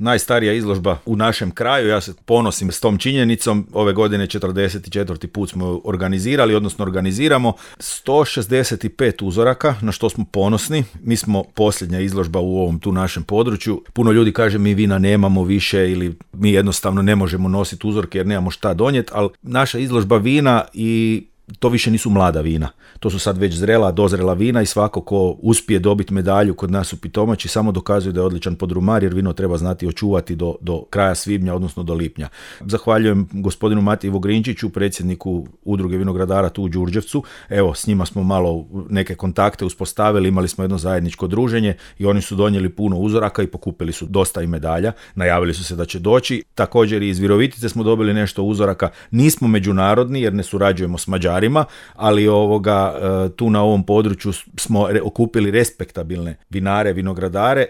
najstarija izložba u našem kraju, ja se ponosim s tom činjenicom, ove godine 44. put smo organizirali, odnosno organiziramo 165 uzoraka, na što smo ponosni. Mi smo posljednja izložba u ovom tu našem području. Puno ljudi kaže mi vina nemamo više ili mi jednostavno ne možemo nositi uzorke jer nemamo šta donijeti, ali naša izložba vina i to više nisu mlada vina. To su sad već zrela, dozrela vina i svako ko uspije dobiti medalju kod nas u Pitomači samo dokazuje da je odličan podrumar jer vino treba znati očuvati do kraja svibnja, odnosno do lipnja. Zahvaljujem gospodinu Matiji Vogrinčiću, predsjedniku Udruge vinogradara tu u Đurđevcu. Evo, s njima smo malo neke kontakte uspostavili, imali smo jedno zajedničko druženje i oni su donijeli puno uzoraka i pokupili su dosta i medalja. Najavili su se da će doći. Također i iz Virovitice smo dobili nešto uzoraka. Nismo međunarodni jer ne surađujemo s Mađarima, ali tu na ovom području smo okupili respektabilne vinare, vinogradare.